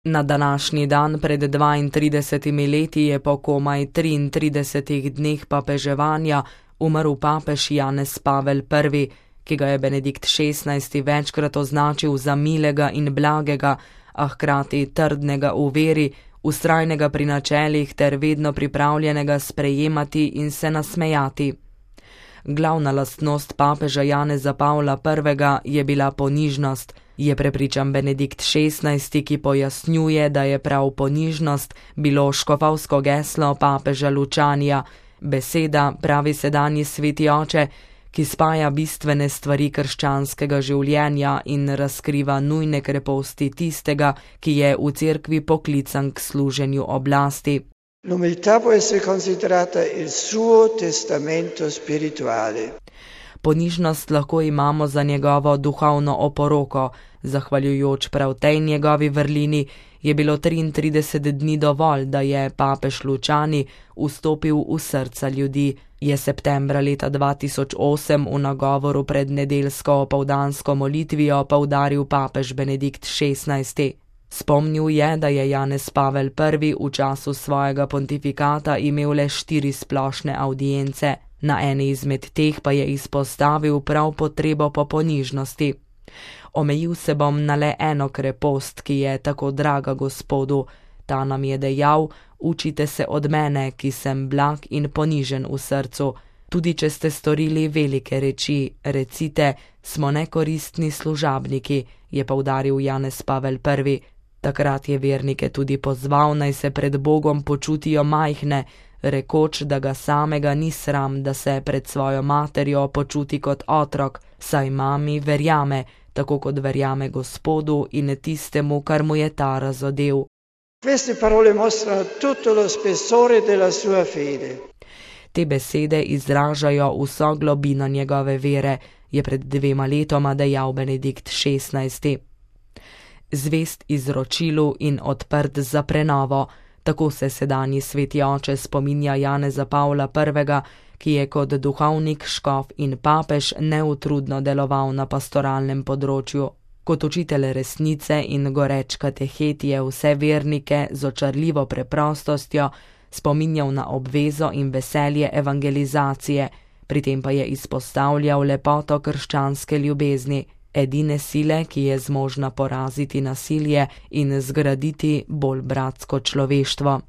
Na današnji dan pred 32 leti je po komaj 33 dneh papeževanja umrl papež Janez Pavel I., ki ga je Benedikt XVI. Večkrat označil za milega in blagega, a hkrati trdnega v veri, vztrajnega pri načelih ter vedno pripravljenega sprejemati in se nasmejati. Glavna lastnost papeža Janeza Pavla I. je bila ponižnost, je prepričan Benedikt XVI., ki pojasnjuje, da je prav ponižnost bilo škofovsko geslo papeža Lučanija, beseda, pravi sedanji sveti oče, ki spaja bistvene stvari krščanskega življenja in razkriva nujne kreposti tistega, ki je v cerkvi poklican k služenju oblasti. L'umiltà può essere considerata il suo testamento spirituale. Ponižnost lahko imamo za njegovo duhovno oporoko. Zahvaljujoč prav tej njegovi vrlini je bilo 33 dni dovolj, da je papež Lučani vstopil v srca ljudi, je septembra leta 2008 v nagovoru pred nedeljsko opoldansko molitvijo poudaril papež Benedikt XVI. Spomnil je, da je Janez Pavel I. v času svojega pontifikata imel le 4 splošne avdience, na eni izmed teh pa je izpostavil prav potrebo po ponižnosti. Omejil se bom na le eno krepost, ki je tako draga Gospodu. Ta nam je dejal: učite se od mene, ki sem blag in ponižen v srcu. Tudi če ste storili velike reči, recite, smo nekoristni služabniki, je poudaril Janez Pavel I. Takrat je vernike tudi pozval, naj se pred Bogom počutijo majhne, rekoč, da ga samega ni sram, da se pred svojo materjo počuti kot otrok, saj mami verjame, tako kot verjame Gospodu in tistemu, kar mu je ta razodel. Queste parole mostrano tutto lo spessore della sua fede. Te besede izražajo vso globino njegove vere, je pred 2 letoma dejal Benedikt XVI. Zvest izročilu in odprt za prenovo, tako se sedanji sveti oče spominja Janeza Pavla I., ki je kot duhovnik, škof in papež neutrudno deloval na pastoralnem področju. Kot učitelj resnice in goreč katehet je vse vernike z očarljivo preprostostjo spominjal na obvezo in veselje evangelizacije, pri tem pa je izpostavljal lepoto krščanske ljubezni, edine sile, ki je zmožna poraziti nasilje in zgraditi bolj bratsko človeštvo.